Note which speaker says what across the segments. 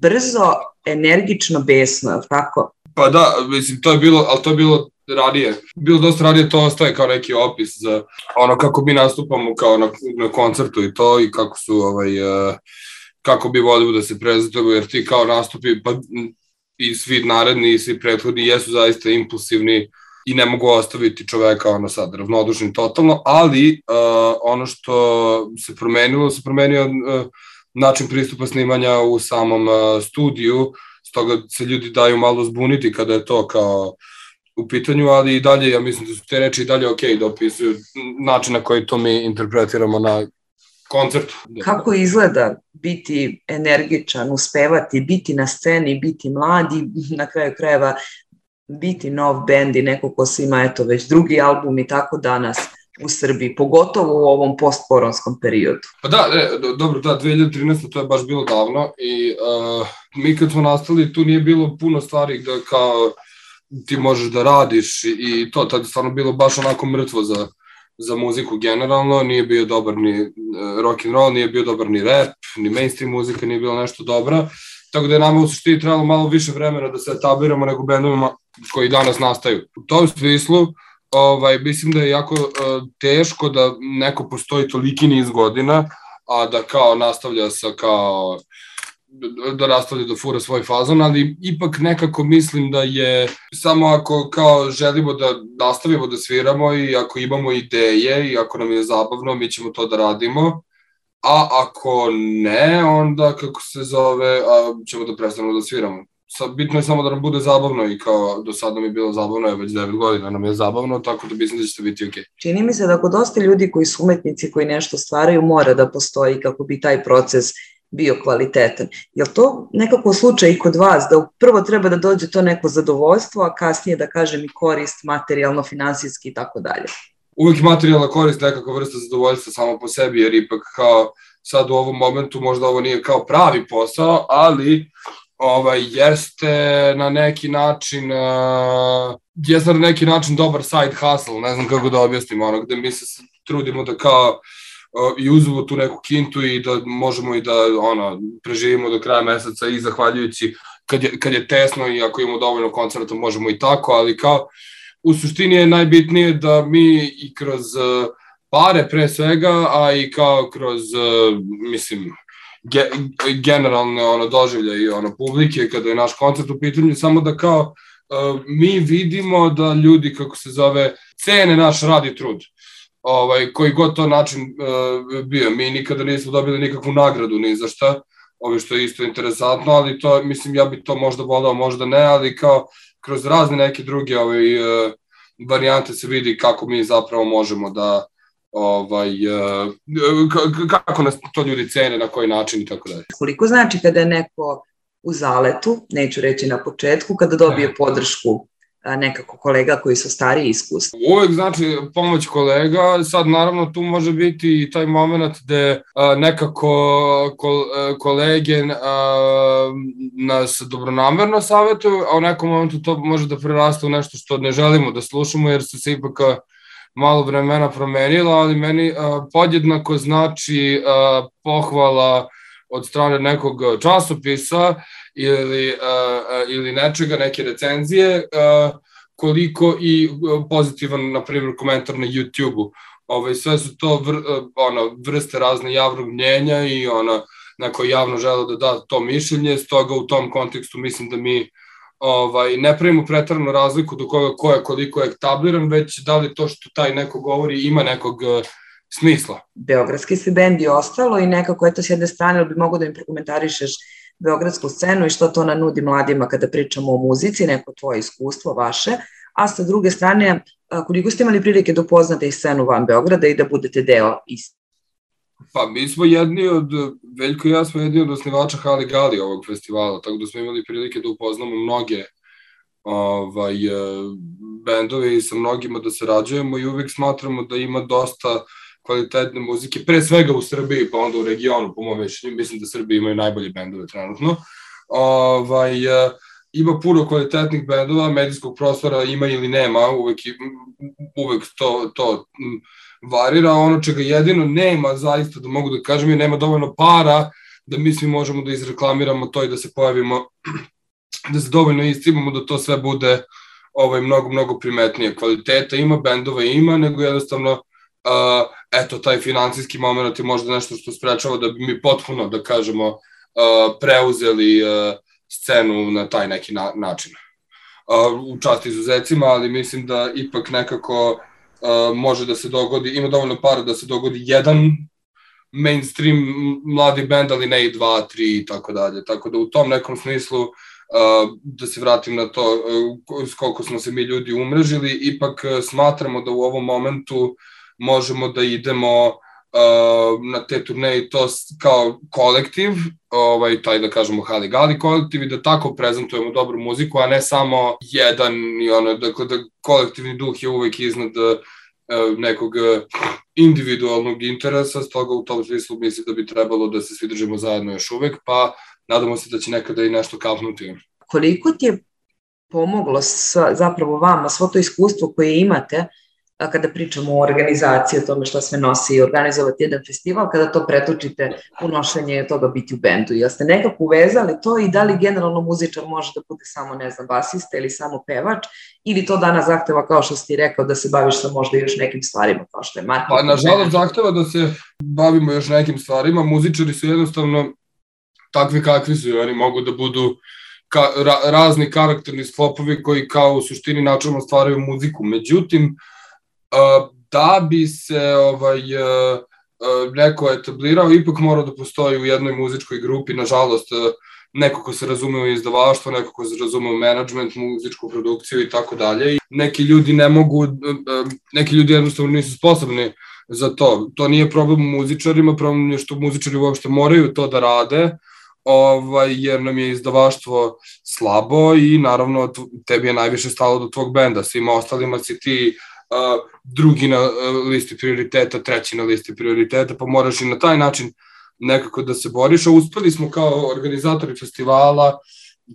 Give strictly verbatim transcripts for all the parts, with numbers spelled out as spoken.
Speaker 1: brzo, energično, besno, je li tako?
Speaker 2: Pa da, mislim, to je bilo, ali to je bilo ranije. Bilo dosta ranije, to ostaje kao neki opis za ono kako mi nastupamo kao na, na koncertu i to, i kako su, ovaj, uh, kako bi volimo da se prezentujemo, jer ti kao nastupi, pa i svi naredni i svi prethodni jesu zaista impulsivni i ne mogu ostaviti čoveka ono sad ravnodušnim totalno, ali uh, ono što se promenilo, se promenio uh, način pristupa snimanja u samom uh, studiju, stoga se ljudi daju malo zbuniti kada je to kao u pitanju, ali i dalje, ja mislim da su te reči i dalje ok da opisuju način na koji to mi interpretiramo na koncertu.
Speaker 1: Kako izgleda biti energičan, uspevati, biti na sceni, biti mladi, na kraju krajeva biti nov bend i neko ko se ima eto već drugi album i tako danas u Srbiji, pogotovo u ovom postkoronskom periodu?
Speaker 2: Pa da, ne, dobro, da, dve hiljade trinaeste. to je baš bilo davno i uh, mi kad smo nastali tu nije bilo puno stvari da kao ti možeš da radiš i to, tad je stvarno bilo baš onako mrtvo za, za muziku generalno, nije bio dobar ni uh, rock and roll, nije bio dobar ni rap, ni mainstream muzika nije bila nešto dobra, tako da je nama u suštini trebalo malo više vremena da se etabliramo nego bendovima koji danas nastaju. U tom smislu, ovaj, mislim da je jako uh, teško da neko postoji toliki niz godina, a da kao nastavlja sa kao, da nastavlja da fura svoj fazon, ali ipak nekako mislim da je samo ako kao želimo da nastavimo da sviramo i ako imamo ideje i ako nam je zabavno, mi ćemo to da radimo, a ako ne, onda kako se zove, a ćemo da prestanemo da sviramo. Bitno je samo da nam bude zabavno i kao do sada mi je bilo zabavno, je već devet godina nam je zabavno, tako da mislim da će to biti ok.
Speaker 1: Čini mi se da kod dosta ljudi koji su umetnici, koji nešto stvaraju, mora da postoji kako bi taj proces bio kvalitetan. Je li to nekako slučaj i kod vas, da prvo treba da dođe to neko zadovoljstvo, a kasnije da kažem i korist materijalno, finansijski i tako dalje?
Speaker 2: Uvijek materijalna korist nekakva vrsta zadovoljstva samo po sebi, jer ipak kao sad u ovom momentu možda ovo nije kao pravi posao, ali ovaj, jeste na neki način uh, jeste na neki način dobar side hustle, ne znam kako da objasnim, ono, gde mi se trudimo da kao uh, i uzmemo tu neku kintu i da možemo i da ono, preživimo do kraja meseca i zahvaljujući kad je, kad je tesno i ako imamo dovoljno koncerta možemo i tako, ali kao u suštini je najbitnije da mi i kroz uh, pare pre svega, a i kao kroz, uh, mislim, Ge, generalne ono, doživlje i ono, publike kada je naš koncert u pitanju, samo da kao uh, mi vidimo da ljudi, kako se zove, cene naš rad i trud. Ovaj, koji god to način uh, bio. Mi nikada nismo dobili nikakvu nagradu ni za šta, ovaj, što je isto interesantno, ali to, mislim, ja bi to možda volao, možda ne, ali kao kroz razne neke druge ovaj, uh, varijante se vidi kako mi zapravo možemo da ovaj, kako nas to ljudi cene, na koji način i tako dalje.
Speaker 1: Koliko znači kada je neko u zaletu, neću reći na početku, kada dobije podršku nekako kolega koji su stariji iskustva?
Speaker 2: Uvek znači pomoć kolega, sad naravno tu može biti i taj moment gde nekako kolege nas dobronamerno savjetuju, a u nekom momentu to može da prerasta u nešto što ne želimo da slušamo, jer su se ipak malo vremena promenila, ali meni a, podjednako znači a, pohvala od strane nekog časopisa ili, a, a, ili nečega, neke recenzije, a, koliko i pozitivan, na primjer, komentar na YouTube-u. Ove, sve su to vr, ono, vrste razne javnog mnjenja i ona, neko javno žele da da to mišljenje, stoga u tom kontekstu mislim da mi Ovaj, ne pravimo pretaranu razliku do koga ko je koliko je etabliran, već da li to što taj neko govori ima nekog uh, smisla.
Speaker 1: Beogradski se bend je ostalo i nekako eto s jedne strane bi mogo da im prokomentarišeš beogradsku scenu i što to ona nudi mladima kada pričamo o muzici, neko tvoje iskustvo vaše, a sa druge strane koliko ste imali prilike da upoznate i scenu van Beograda i da budete deo iste?
Speaker 2: Pa mi smo jedni od, Veljko i ja smo jedni od osnivača Hali Gali ovog festivala, tako da smo imali prilike da upoznamo mnoge ovaj, bendove i sa mnogima da sarađujemo i uvek smatramo da ima dosta kvalitetne muzike, pre svega u Srbiji, pa onda u regionu, po mojom mišljenju, mislim da Srbiji imaju najbolje bendove trenutno. Ovaj, ima puno kvalitetnih bendova, medijskog prostora ima ili nema, uvek, uvek to, to varira. Ono čega jedino nema, zaista da mogu da kažem, je nema dovoljno para da mi svi možemo da izreklamiramo to i da se pojavimo, da se dovoljno iscimamo da to sve bude ovaj, mnogo, mnogo primetnije. Kvaliteta ima, bendova ima, nego jednostavno uh, eto, taj finansijski moment je možda nešto što sprečava da bi mi potpuno, da kažemo, uh, preuzeli uh, scenu na taj neki na, način. Uh, u čast izuzecima, ali mislim da ipak nekako uh, može da se dogodi, ima dovoljno para da se dogodi jedan mainstream mladi band, ali ne i dva, tri i tako dalje. Tako da u tom nekom smislu, uh, da se vratim na to uh, s koliko smo se mi ljudi umrežili, ipak uh, smatramo da u ovom momentu možemo da idemo uh, na te turneje i to kao kolektiv, ovaj, taj da kažemo Hali Gali kolektiv i da tako prezentujemo dobru muziku, a ne samo jedan, i ono, dakle da kolektivni duh je uvek iznad uh, nekog individualnog interesa, stoga u tom smislu mislim da bi trebalo da se svi držimo zajedno još uvek, pa nadamo se da će nekada i nešto kapnuti.
Speaker 1: Koliko ti je pomoglo sa, zapravo vama svo to iskustvo koje imate kada pričamo o organizaciji, o tome šta sve nosi i organizovati jedan festival, kada to pretočite u nošenje toga biti u bendu? Jel ste nekako uvezali to i da li generalno muzičar može da bude samo, ne znam, basista ili samo pevač, ili to danas zahteva, kao što si ti rekao, da se baviš sa možda još nekim stvarima, kao što je marketing?
Speaker 2: Pa, nažalost, zahteva da se bavimo još nekim stvarima. Muzičari su jednostavno takvi kakvi su i oni mogu da budu ka, ra, razni karakterni sklopovi koji kao u suštini načelno stvaraju muziku. Međutim, da bi se ovaj, neko etablirao, ipak mora da postoji u jednoj muzičkoj grupi, nažalost, neko ko se razume u izdavaštvo, neko ko se razume u menadžment, muzičku produkciju i tako dalje. Neki ljudi ne mogu, neki ljudi jednostavno nisu sposobni za to. To nije problem u muzičarima, problem je što muzičari uopšte moraju to da rade, ovaj, jer nam je izdavaštvo slabo i naravno tebi je najviše stalo do tvog benda, svima ostalima si ti Uh, drugi na uh, listi prioriteta, treći na listi prioriteta, pa moraš i na taj način nekako da se boriš, a uspeli smo kao organizatori festivala,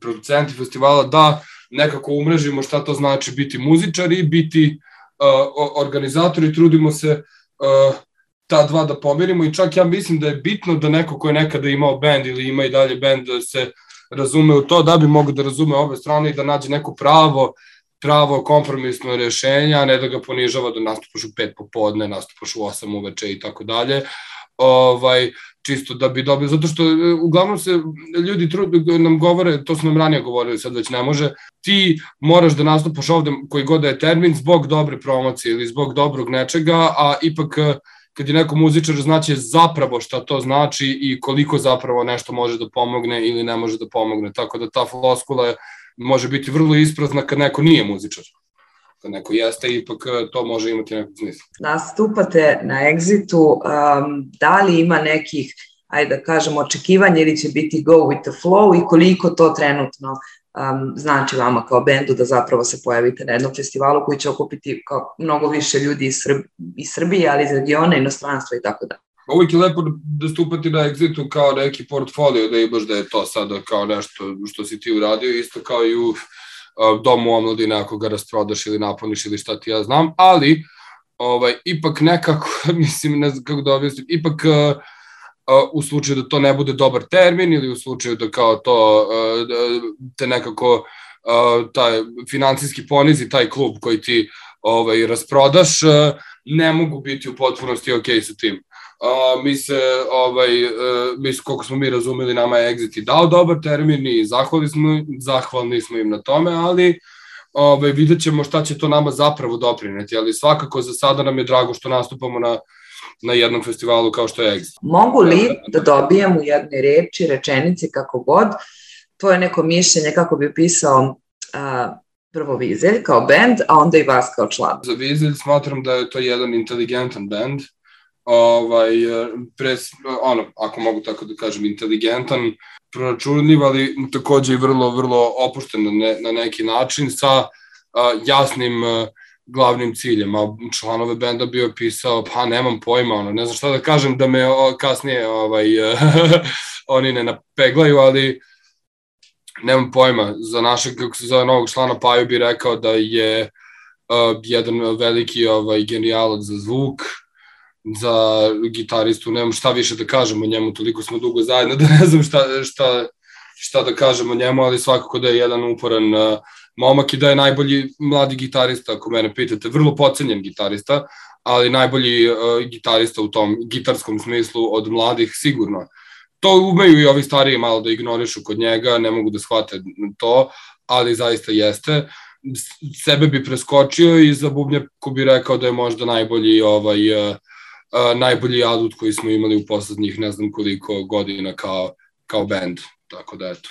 Speaker 2: producenti festivala da nekako umrežimo šta to znači biti muzičari, biti uh, organizatori, trudimo se uh, ta dva da pomerimo i čak ja mislim da je bitno da neko ko je nekada imao band ili ima i dalje band da se razume u to, da bi mogo da razume obe strane i da nađe neko pravo pravo kompromisno rešenje, a ne da ga ponižava da nastupaš u pet popodne, nastupaš u osam uveče i tako dalje. Ovaj, čisto da bi dobio, zato što uglavnom se ljudi nam govore, to su nam ranije govorili, sad već ne može, ti moraš da nastupaš ovde koji god da je termin zbog dobre promocije ili zbog dobrog nečega, a ipak kad je neko muzičar znaće zapravo šta to znači i koliko zapravo nešto može da pomogne ili ne može da pomogne, tako da ta floskula je može biti vrlo isprazna kad neko nije muzičar. Kad neko jeste, ipak to može imati nekog smisla.
Speaker 1: Nastupate na Exitu, um, da li ima nekih, ajde da kažemo, očekivanja ili će biti go with the flow i koliko to trenutno um, znači vama kao bendu da zapravo se pojavite na jednom festivalu koji će okupiti kao mnogo više ljudi iz, Srb, iz Srbije, ali iz regiona, inostranstva i tako da.
Speaker 2: Uvijek je lepo da stupati na Exitu kao neki portfolio, da imaš da je to sada kao nešto što si ti uradio, isto kao i u uh, domu omladine ako ga rasprodaš ili napuniš ili šta ti ja znam, ali ovaj, ipak nekako, mislim, ne znam kako da objasnim, ipak uh, uh, u slučaju da to ne bude dobar termin ili u slučaju da kao to uh, da te nekako uh, taj financijski ponizi taj klub koji ti ovaj, rasprodaš, uh, ne mogu biti u potpunosti ok sa tim. Uh, mi se, ovaj, uh, mi, koliko smo mi razumeli, nama je Exit i dao dobar termin i zahvalni smo, zahvalni smo im na tome, ali ovaj, vidjet ćemo šta će to nama zapravo doprineti, ali svakako za sada nam je drago što nastupamo na, na jednom festivalu kao što je Exit.
Speaker 1: Mogu li da dobijem u jednoj reči, rečenici, kako god, tvoje neko mišljenje kako bi opisao uh, prvo Vizelj kao band, a onda i vas kao član?
Speaker 2: Za Vizelj smatram da je to jedan inteligentan band, ovaj, pres, ono, ako mogu tako da kažem, inteligentan, proračunljiv, ali takođe i vrlo, vrlo opušten na, ne, na neki način sa uh, jasnim uh, glavnim ciljem, a članove benda bi opisao, pa nemam pojma, ono, ne znam šta da kažem da me o, kasnije ovaj, oni ne napeglaju, ali nemam pojma, za našeg, za novog člana Paju bi rekao da je uh, jedan veliki ovaj, genijalac za zvuk, za gitaristu, nemam šta više da kažem o njemu, toliko smo dugo zajedno da ne znam šta, šta, šta da kažem o njemu, ali svakako da je jedan uporan uh, momak i da je najbolji mladi gitarista, ako mene pitate, vrlo pocenjen gitarista, ali najbolji uh, gitarista u tom gitarskom smislu od mladih sigurno. To umeju i ovi stariji malo da ignorišu kod njega, ne mogu da shvate to, ali zaista jeste. Sebe bi preskočio i za bubnjaku bi rekao da je možda najbolji ovaj, uh, uh, najbolji adut koji smo imali u poslednjih ne znam koliko godina kao, kao band, tako da eto.